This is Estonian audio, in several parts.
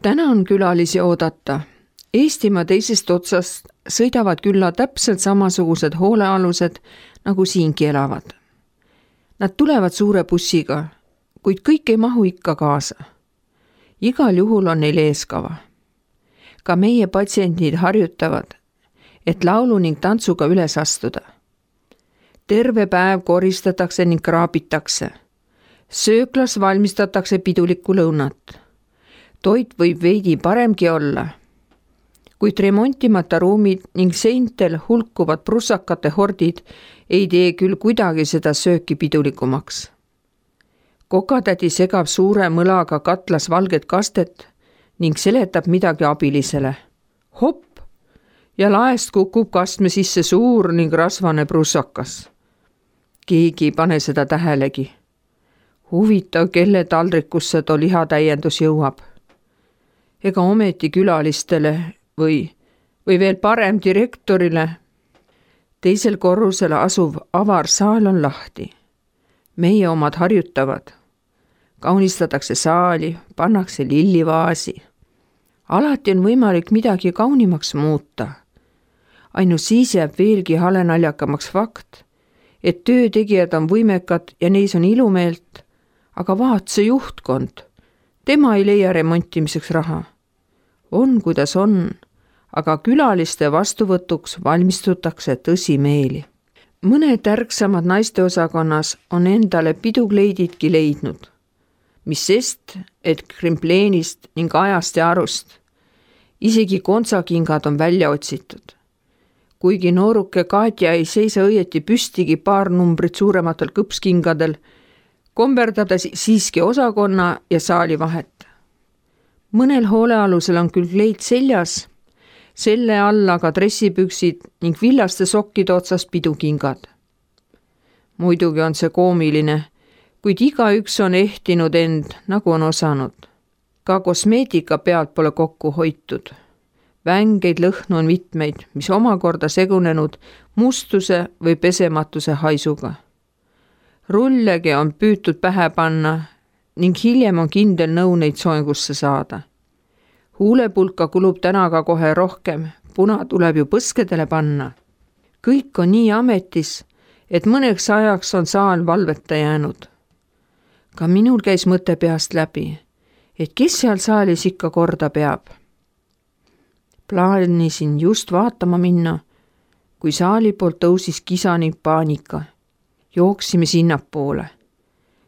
Täna on külalisi oodata. Eestimaa teisest otsast sõidavad külla täpselt samasugused hoolealused, nagu siingi elavad. Nad tulevad suure bussiga, kuid kõik ei mahu ikka kaasa. Igal juhul on neil eeskava. Ka meie patsiendid harjutavad, et laulu ning tantsuga üles astuda. Terve päev koristatakse ning kraabitakse. Sööklas valmistatakse pidulikku lõunat. Toit võib veidi paremgi olla, kuid remontimata ruumid ning seintel hulkuvad prussakate hordid ei tee küll kuidagi seda sööki pidulikumaks. Kokatädi segab suure mõlaga katlas valget kastet ning seletab midagi abilisele. Hopp! Ja laest kukub kastme sisse suur ning rasvane prussakas. Keegi ei pane seda tähelegi. Huvitav, kelle taldrikusse too lihatäiendus jõuab. Ega ometi külalistele või veel parem direktorile. Teisel korrusel asuv avar saal on lahti. Meie omad harjutavad. Kaunistatakse saali, pannakse lillivaasi. Alati on võimalik midagi kaunimaks muuta. Ainult siis jääb veelgi halenaljakamaks fakt, et töötegijad on võimekad ja neis on ilumeelt, aga vaat see juhtkond. Tema ei leia remontimiseks raha. On, kuidas on, aga külaliste vastuvõtuks valmistutakse tõsimeeli. Mõned ärksamad naisteosakonnas on endale pidukleididki leidnud, mis sest, et krimpleenist ning ajast ja arust. Isegi kontsakingad on välja otsitud. Kuigi nooruke Katja ei seisa õieti püstigi paar numbrit suurematel kõpskingadel, komberdab ta siiski osakonna ja saali vahet. Mõnel hoolealusel on küll kleid seljas, selle all aga dressipüksid ning villaste sokkide otsas pidukingad. Muidugi on see koomiline, kuid igaüks on ehtinud end, nagu on osanud. Ka kosmeetika pealt pole kokku hoitud. Vängeid lõhnu on mitmeid, mis omakorda segunenud mustuse või pesematuse haisuga. Rullegi on püütud pähe panna ning hiljem on kindel nõu neid soengusse saada. Huulepulka kulub täna ka kohe rohkem, puna tuleb ju põskedele panna. Kõik on nii ametis, et mõneks ajaks on saal valveta jäänud. Ka minul käis mõte peast läbi, et kes seal saalis ikka korda peab. Plaanisin just vaatama minna, kui saali poolt tõusis kisa ning paanika. Jooksime sinnapoole.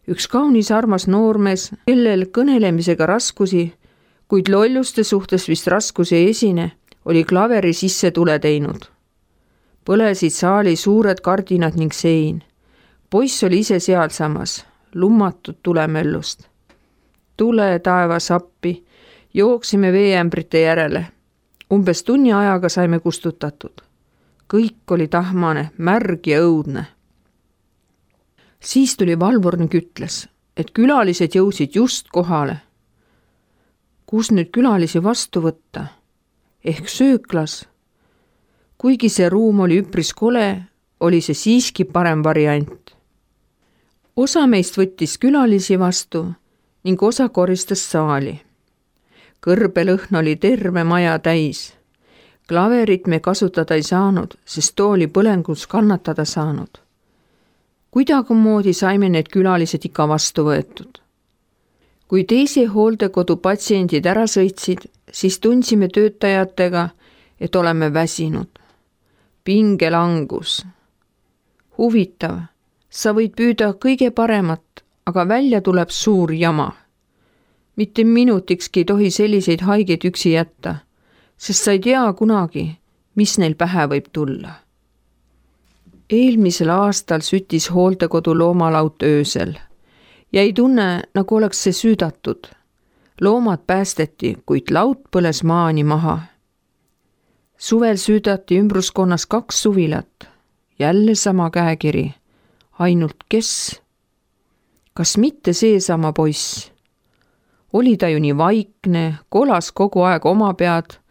Üks kaunis armas noormees, kellel kõnelemisega raskusi, kuid lolluste suhtes vist raskusi ei esine, oli klaveri sisse tule teinud. Põlesid saali suured kardinad ning sein. Poiss oli ise sealsamas, lummatud tulemöllust. Tule taevas appi, jooksime veeämbrite järele. Umbes tunni ajaga saime kustutatud. Kõik oli tahmane, märg ja õudne. Siis tuli valvur ning ütles, et külalised jõusid just kohale. Kus nüüd külalisi vastu võtta? Ehk sööklas. Kuigi see ruum oli üpris kole, oli see siiski parem variant. Osa meist võttis külalisi vastu ning osa koristas saali. Kõrbelõhn oli terve maja täis. Klaverit me kasutada ei saanud, sest too oli põlengus kannatada saanud. Kuidagimoodi saime need külalised ikka vastu võetud. Kui teise hooldekodu patsiendid ära sõitsid, siis tundsime töötajatega, et oleme väsinud. Pingelangus. Huvitav, sa võid püüda kõige paremat, aga välja tuleb suur jama. Mitte minutikski ei tohi selliseid haigeid üksi jätta, sest sa ei tea kunagi, mis neil pähe võib tulla. Eelmisel aastal süttis hooldekodu loomalaut öösel ja ei tunne, nagu oleks see süüdatud. Loomad päästeti, kuid laut põles maani maha. Suvel süüdati ümbruskonnas 2 suvilat. Jälle sama käekiri. Ainult kes? Kas mitte seesama poiss? Oli ta ju nii vaikne, kolas kogu aeg oma pead,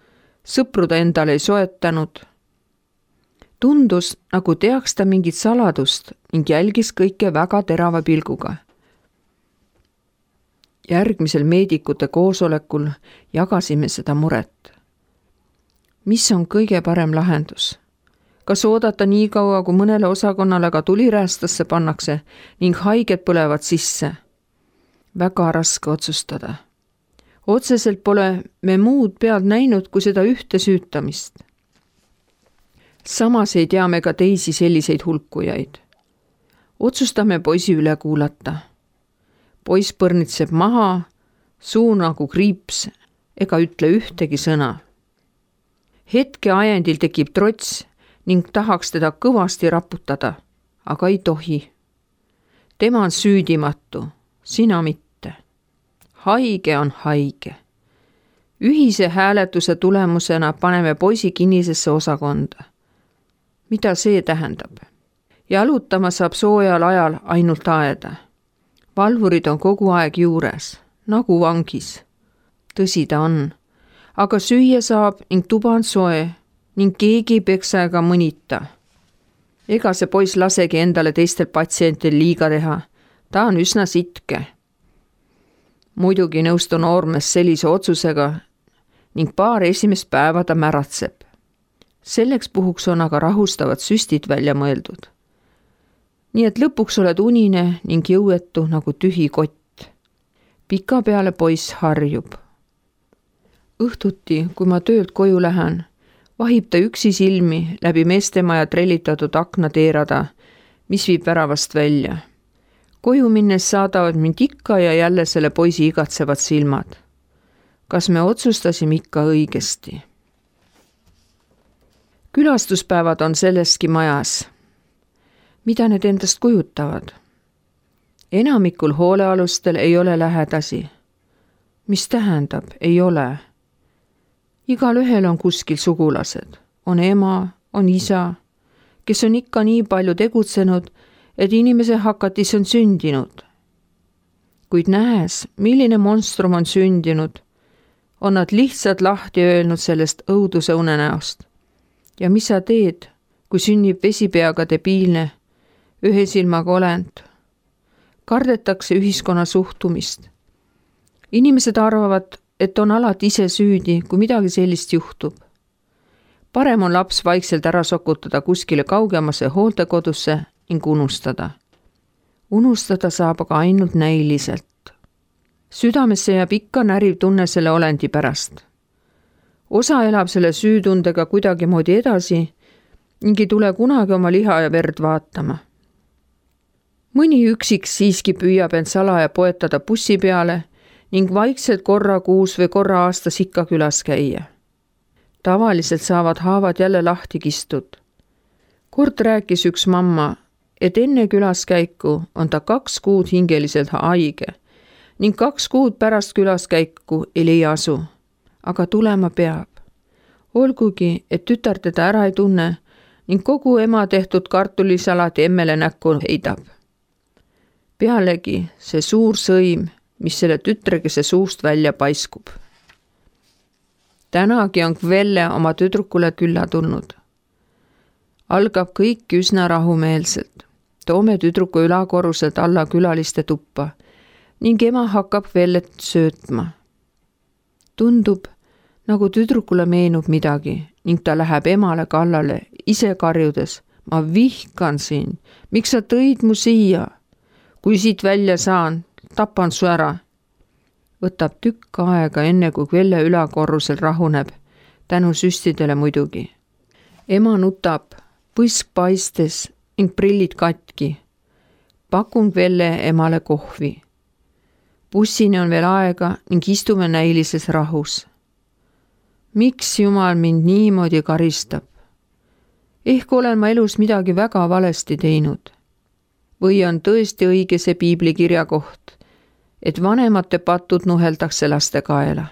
sõpru ta endale ei soetanud. Tundus, nagu teaks ta mingit saladust ning jälgis kõike väga terava pilguga. Järgmisel meedikute koosolekul jagasime seda muret. Mis on kõige parem lahendus? Kas oodata nii kaua, kui mõnele osakonnale ka tuliräästasse pannakse ning haiged põlevad sisse? Väga raske otsustada. Otseselt pole me muud pealt näinud kui seda ühte süütamist. Samas ei tea me ka teisi selliseid hulkujaid. Otsustame poisi üle kuulata. Poiss põrnitseb maha, suu nagu kriips ega ütle ühtegi sõna. Hetke ajendil tekib trots ning tahaks teda kõvasti raputada, aga ei tohi. Tema on süüdimatu, sina mitte. Haige on haige. Ühise hääletuse tulemusena paneme poisi kinnisesse osakonda. Mida see tähendab? Jalutama saab soojal ajal ainult aeda. Valvurid on kogu aeg juures, nagu vangis. Tõsi ta on, aga süüa saab ning tuba on soe ning keegi ei peksa ega mõnita. Ega see poiss lasegi endale teistel patsientil liiga teha, ta on üsna sitke. Muidugi nõustu noormees sellise otsusega ning paar esimest päeva ta märatseb. Selleks puhuks on aga rahustavad süstid välja mõeldud. Nii et lõpuks oled unine ning jõuetu nagu tühi kott. Pika peale poiss harjub. Õhtuti, kui ma töölt koju lähen, vahib ta üksi silmi läbi meestemaja trellitatud akna teerada, mis viib väravast välja. Koju minnes saadavad mind ikka ja jälle selle poisi igatsevad silmad. Kas me otsustasime ikka õigesti? Külastuspäevad on selleski majas. Mida need endast kujutavad? Enamikul hoolealustel ei ole lähedasi. Mis tähendab, ei ole? Igal ühel on kuskil sugulased. On ema, on isa, kes on ikka nii palju tegutsenud, et inimese hakatis on sündinud. Kuid nähes, milline monstrum on sündinud, on nad lihtsalt lahti öelnud sellest õuduse unenäost. Ja mis sa teed, kui sünnib vesipeaga debiilne, ühe silmaga olend? Kardetakse ühiskonna suhtumist. Inimesed arvavad, et on alati ise süüdi, kui midagi sellist juhtub. Parem on laps vaikselt ära sokutada kuskile kaugemasse hooldekodusse ning unustada. Unustada saab aga ainult näiliselt. Südamesse jääb ikka näriv tunne selle olendi pärast. Osa elab selle süütundega kuidagi moodi edasi ning ei tule kunagi oma liha ja verd vaatama. Mõni üksik siiski püüab end salaja poetada bussi peale ning vaikselt korra kuus või korra aastas ikka külas käia. Tavaliselt saavad haavad jälle lahti kistud. Kord rääkis üks mamma, et enne külaskäiku on ta 2 kuud hingeliselt haige ning 2 kuud pärast külaskäiku ei leia asu. Aga tulema peab. Olgugi, et tütar teda ära ei tunne ning kogu ema tehtud kartulisalati emmele näkku heidab. Pealegi see suur sõim, mis selle tütrekese suust välja paiskub. Tänagi on Kvelle oma tüdrukule külla tulnud. Algab kõik üsna rahumeelselt. Toome tüdruku ülakorruselt alla külaliste tuppa ning ema hakkab Kvellet söötma. Tundub, nagu tüdrukule meenub midagi ning ta läheb emale kallale, ise karjudes. Ma vihkan sind, miks sa tõid mu siia? Kui siit välja saan, tapan su ära. Võtab tükk aega enne kui Kvelle ülakorrusel rahuneb, tänu süstidele muidugi. Ema nutab, põsk paistes ning prillid katki. Pakun Kvelle emale kohvi. Bussini on veel aega ning istume näilises rahus. Miks Jumal mind niimoodi karistab? Ehk olen ma elus midagi väga valesti teinud. Või on tõesti õige see piiblikirja koht, et vanemate patud nuheldakse laste kaela?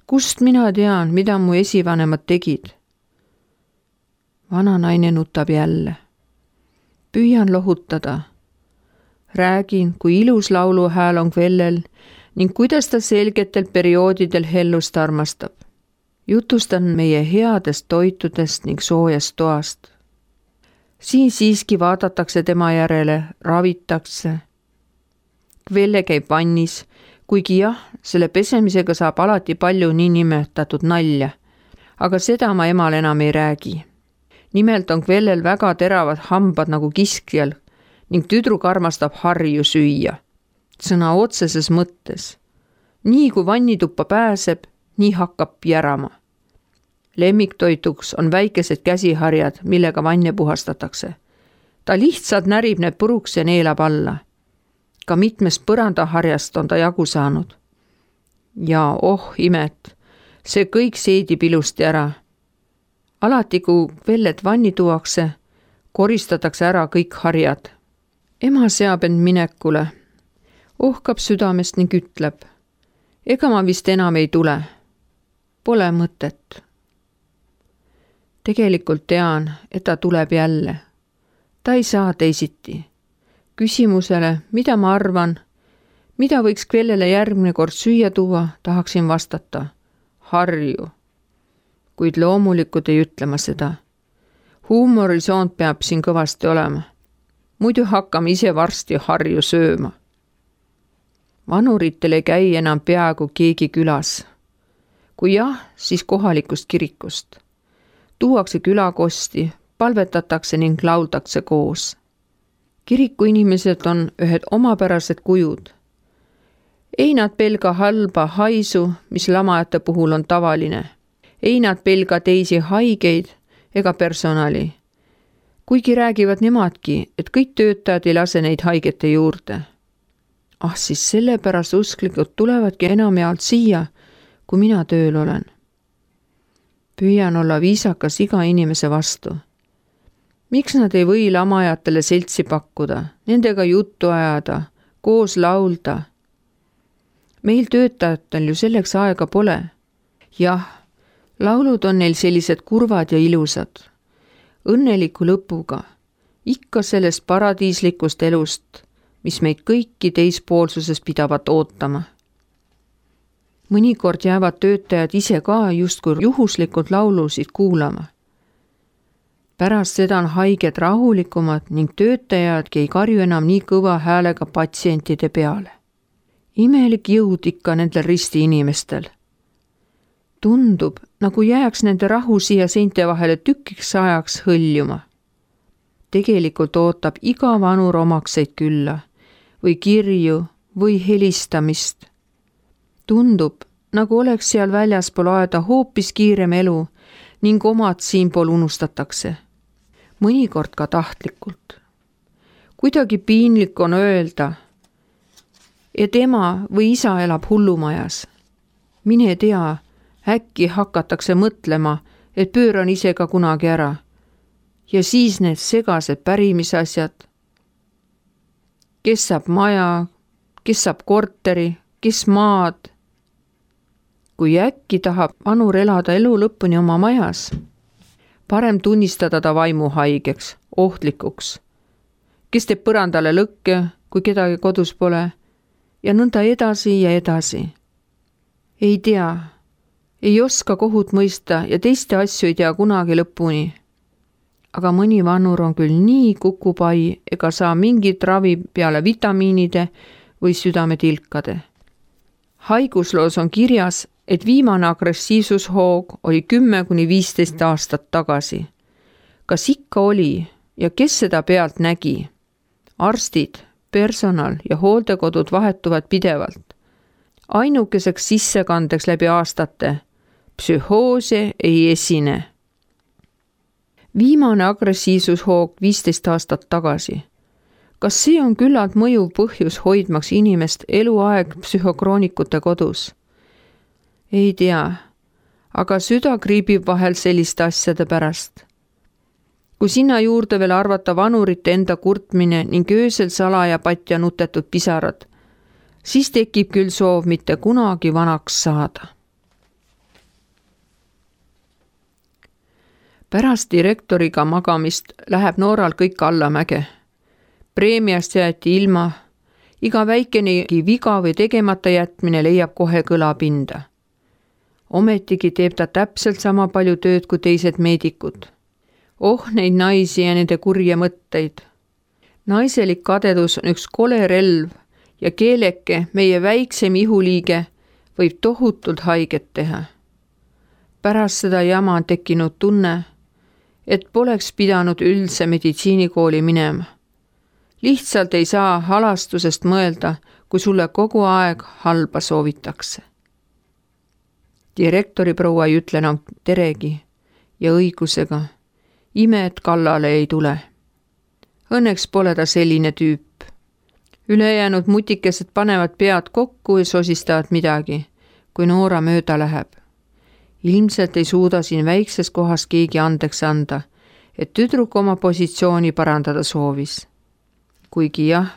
Kust mina tean, mida mu esivanemad tegid? Vana naine nutab jälle. Püüan lohutada. Räägin, kui ilus lauluhääl on Kvellel ning kuidas ta selgetel perioodidel hellust armastab. Jutustan meie headest toitudest ning soojast toast. Siin siiski vaadatakse tema järele, ravitakse. Kvelle käib vannis, kuigi jah, selle pesemisega saab alati palju niinimetatud nalja, aga seda ma emale enam ei räägi. Nimelt on Kvellel väga teravad hambad nagu kiskjal ning tüdruk armastab harju süüa. Sõna otseses mõttes. Nii kui vannituppa pääseb, nii hakkab järama. Lemmiktoituks on väikesed käsiharjad, millega vanne puhastatakse. Ta lihtsalt närib need puruks ja neelab alla. Ka mitmest põrandaharjast on ta jagu saanud. Ja imet, see kõik seedib ilusti ära. Alati, kui Kvellet vanni tuuakse, koristatakse ära kõik harjad. Ema seab end minekule, ohkab südamest ning ütleb, ega ma vist enam ei tule. Pole mõtet. Tegelikult tean, et ta tuleb jälle. Ta ei saa teisiti. Küsimusele, mida ma arvan, mida võiks Kvellele järgmine kord süüa tuua, tahaksin vastata. Harju. Kuid loomulikult ei ütle ma seda. Huumorisoont peab siin kõvasti olema. Muidu hakkame ise varsti harju sööma. Vanuritel ei käi enam peaaegu keegi külas. Kui jah, siis kohalikust kirikust. Tuuakse külakosti, palvetatakse ning lauldakse koos. Kiriku inimesed on ühed omapärased kujud. Ei nad pelga halba haisu, mis lamajate puhul on tavaline. Ei nad pelga teisi haigeid ega personali. Kuigi räägivad nemadki, et kõik töötajad ei lase neid haigete juurde. Siis sellepärast usklikud tulevadki enamjaolt siia, kui mina tööl olen. Püüan olla viisakas iga inimese vastu. Miks nad ei või lamajatele seltsi pakkuda, nendega juttu ajada, koos laulda? Meil töötajatel ju selleks aega pole. Jah, laulud on neil sellised kurvad ja ilusad. Õnneliku lõpuga, ikka sellest paradiislikust elust, mis meid kõiki teispoolsuses pidavat ootama. Mõnikord jäävad töötajad ise ka justkui juhuslikult laulusid kuulama. Pärast seda on haiged rahulikumad ning töötajadki ei karju enam nii kõva häälega patsientide peale. Imelik jõud ikka nendel risti inimestel. Tundub, nagu jääks nende rahu siia seinte vahele tükiks ajaks hõljuma. Tegelikult ootab iga vanur omakseid külla või kirju või helistamist. Tundub, nagu oleks seal väljaspool aeda hoopis kiirem elu ning omad siinpool unustatakse. Mõnikord ka tahtlikult. Kuidagi piinlik on öelda, et ema või isa elab hullumajas. Mine tea, äkki hakatakse mõtlema, et pööran ise ka kunagi ära. Ja siis need segased pärimisasjad. Kes saab maja, kes saab korteri, kes maad. Kui äkki tahab vanur elada elu lõpuni oma majas, parem tunnistada ta vaimuhaigeks, ohtlikuks, kes teeb põrandale lõkke, kui kedagi kodus pole, ja nõnda edasi ja edasi. Ei tea, ei oska kohut mõista ja teiste asju ei tea kunagi lõpuni. Aga mõni vanur on küll nii kukupai ega saa mingit ravi peale vitamiinide või südametilkade. Haigusloos on kirjas, et viimane agressiivsushoog oli 10–15 aastat tagasi. Kas ikka oli ja kes seda pealt nägi? Arstid, personal ja hooldekodud vahetuvad pidevalt. Ainukeseks sissekandeks läbi aastate psühhoose ei esine. Viimane agressiivsushoog 15 aastat tagasi. Kas see on küllalt mõjuv põhjus hoidmaks inimest eluaeg psühhokroonikute kodus? Ei tea, aga süda kriibib vahel selliste asjade pärast. Kui sinna juurde veel arvata vanurite enda kurtmine ning öösel salaja patja nutetud pisarad, siis tekib küll soov mitte kunagi vanaks saada. Pärast direktoriga magamist läheb Nooral kõik allamäge. Preemiast jäeti ilma, iga väikenegi viga või tegemata jätmine leiab kohe kõlapinda. Ometigi teeb ta täpselt sama palju tööd kui teised meedikud. Neid naisi ja nende kurje mõtteid. Naiselik kadedus on üks kole relv ja keeleke, meie väiksem ihuliige, võib tohutult haiget teha. Pärast seda jama on tekkinud tunne, et poleks pidanud üldse meditsiinikooli minema. Lihtsalt ei saa halastusest mõelda, kui sulle kogu aeg halba soovitakse. Direktori proua ei ütle enam teregi ja õigusega. Ime, et kallale ei tule. Õnneks pole ta selline tüüp. Ülejäänud mutikesed panevad pead kokku ja sosistavad midagi, kui Noora mööda läheb. Ilmselt ei suuda siin väikses kohas keegi andeks anda, et tüdruk oma positsiooni parandada soovis. Kuigi jah,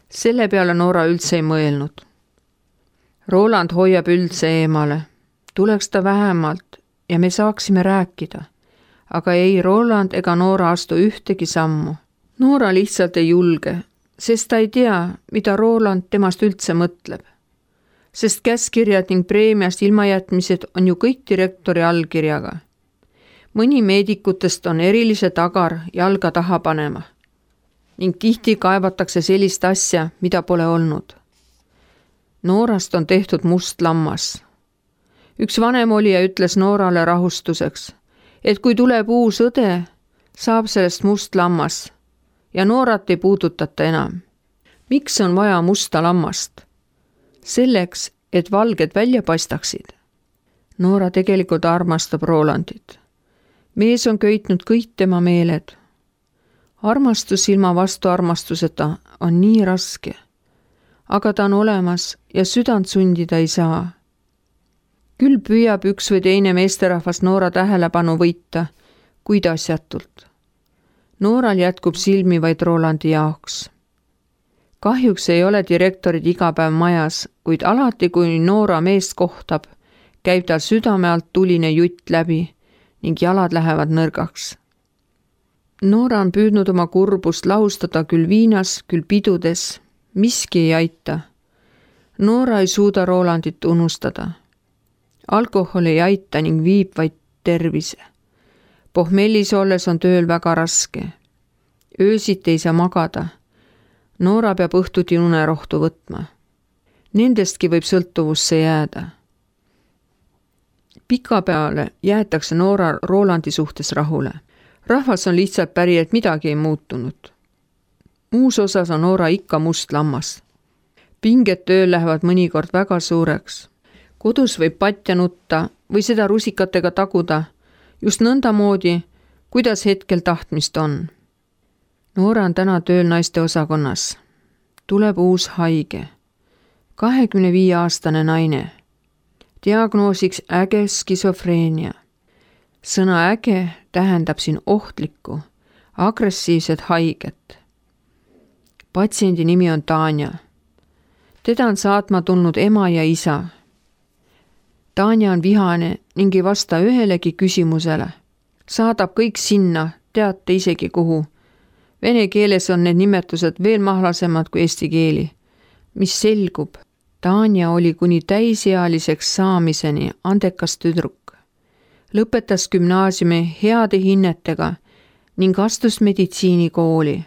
selle peale Noora üldse ei mõelnud. Roland hoiab üldse eemale. Tuleks ta vähemalt ja me saaksime rääkida. Aga ei Roland ega Noora astu ühtegi sammu. Noora lihtsalt ei julge, sest ta ei tea, mida Roland temast üldse mõtleb. Sest käskirjad ning preemiast ilmajätmised on ju kõik direktori allkirjaga. Mõni meedikutest on erilise tagar jalga taha panema. Ning tihti kaevatakse sellist asja, mida pole olnud. Noorast on tehtud must lammas. Üks vanem olija ütles Noorale rahustuseks, et kui tuleb uus õde, saab sellest must lammas ja Noorat ei puudutata enam. Miks on vaja musta lammast? Selleks, et valged välja paistaksid. Noora tegelikult armastab Rolandit. Mees on köitnud kõik tema meeled. Armastus ilma vastuarmastuseta on nii raske, aga ta on olemas ja südant sundida ei saa. Küll püüab üks või teine meesterahvas Noora tähelepanu võita, kuid asjatult. Nooral jätkub silmi vaid Rolandi jaoks. Kahjuks ei ole direktorid iga päev majas, kuid alati, kui Noora meest kohtab, käib tal südame alt tuline jutt läbi ning jalad lähevad nõrgaks. Noora on püüdnud oma kurbust lahustada küll viinas, küll pidudes. Miski ei aita. Noora ei suuda Rolandit unustada. Alkohol ei aita ning viib vaid tervise. Pohmellis olles on tööl väga raske. Öösiti ei saa magada. Noora peab õhtuti unerohtu võtma. Nendestki võib sõltuvusse jääda. Pikapeale jäetakse Noora Rolandi suhtes rahule. Rahvas on lihtsalt päri, et midagi ei muutunud. Muus osas on Noora ikka must lammas. Pinged tööl lähevad mõnikord väga suureks. Kodus võib patja nutta või seda rusikatega taguda, just nõndamoodi, kuidas hetkel tahtmist on. Noora on täna tööl naiste osakonnas. Tuleb uus haige. 25-aastane naine. Diagnoosiks äge skisofreenia. Sõna äge tähendab siin ohtlikku, agressiivset haiget. Patsiendi nimi on Tanja. Teda on saatma tulnud ema ja isa. Tanja on vihane ning ei vasta ühelegi küsimusele. Saadab kõik sinna, teate isegi kuhu. Vene keeles on need nimetused veel mahlasemad kui eesti keeli. Mis selgub, Tanja oli kuni täisealiseks saamiseni andekas tüdruk. Lõpetas gümnaasiumi heade hinnetega ning astus meditsiinikooli.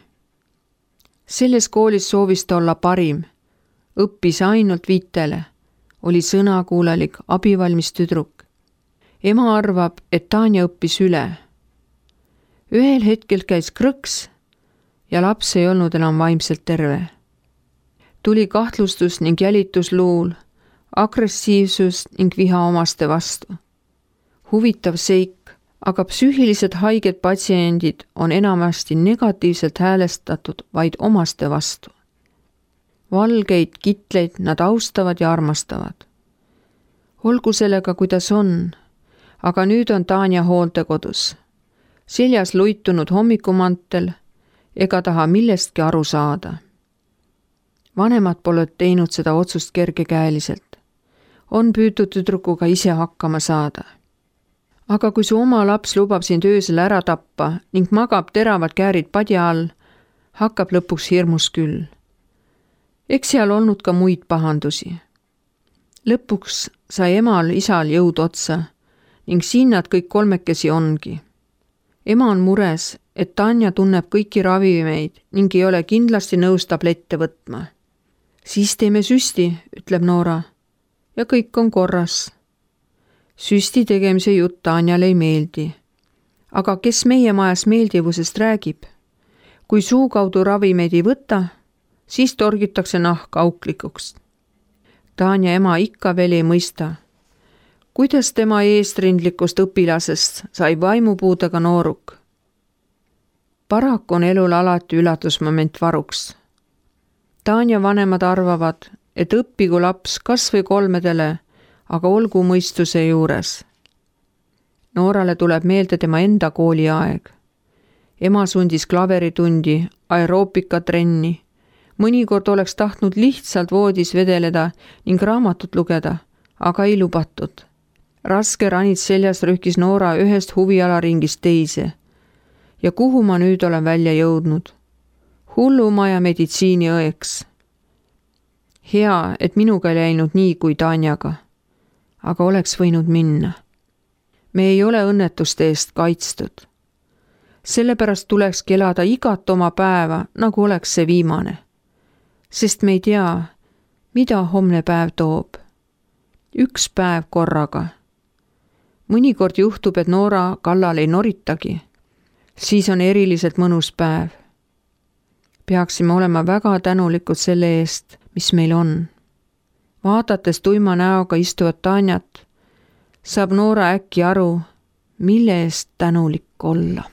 Selles koolis soovis ta olla parim. Õppis ainult vitele. Oli sõnakuulelik, abivalmis tüdruk. Ema arvab, et Tanja õppis üle. Ühel hetkel käis krõks ja laps ei olnud enam vaimselt terve. Tuli kahtlustus ning jälitusluul, agressiivsus ning viha omaste vastu. Huvitav seik, aga psüühiliselt haiged patsiendid on enamasti negatiivselt häälestatud vaid omaste vastu. Valgeid kitleid nad austavad ja armastavad. Olgu sellega, kuidas on, aga nüüd on Tanja hooldekodus. Seljas luitunud hommikumantel ega taha millestki aru saada. Vanemad pole teinud seda otsust kergekäeliselt. On püütud tüdrukuga ise hakkama saada. Aga kui su oma laps lubab sind öösel ära tappa ning magab teravad käärid padja all, hakkab lõpuks hirmus küll. Eks seal olnud ka muid pahandusi. Lõpuks sai emal isal jõud otsa ning siin nad kõik kolmekesi ongi. Ema on mures, et Tanja tunneb kõiki ravimeid ning ei ole kindlasti nõus tablette võtma. Siis teeme süsti, ütleb Noora. Ja kõik on korras. Süsti tegemise jutt Tanjale ei meeldi. Aga kes meie majas meeldivusest räägib? Kui suu kaudu ravimeid ei võta, siis torgitakse nahk auklikuks. Tanja ema ikka veel ei mõista. Kuidas tema eestrindlikust õpilasest sai vaimupuudega nooruk? Paraku on elul alati üllatusmoment varuks. Tanja vanemad arvavad, et õppigu laps kas või 3, aga olgu mõistuse juures. Noorale tuleb meelde tema enda kooliaeg. Ema sundis klaveritundi, aeroobikatrenni. Mõnikord oleks tahtnud lihtsalt voodis vedeleda ning raamatut lugeda, aga ei lubatud. Raske ranits seljas rühkis Noora ühest huvialaringist teise. Ja kuhu ma nüüd olen välja jõudnud? Hullumaja meditsiiniõeks. Hea, et minuga ei läinud nii kui Tanjaga. Aga oleks võinud minna. Me ei ole õnnetuste eest kaitstud. Sellepärast tulekski elada igat oma päeva, nagu oleks see viimane. Sest me ei tea, mida homne päev toob. Üks päev korraga. Mõnikord juhtub, et Noora kallal ei noritagi. Siis on eriliselt mõnus päev. Peaksime olema väga tänulikud selle eest, mis meil on. Vaadates tuima näoga istuvat Tanjat, saab Noora äkki aru, mille eest tänulik olla.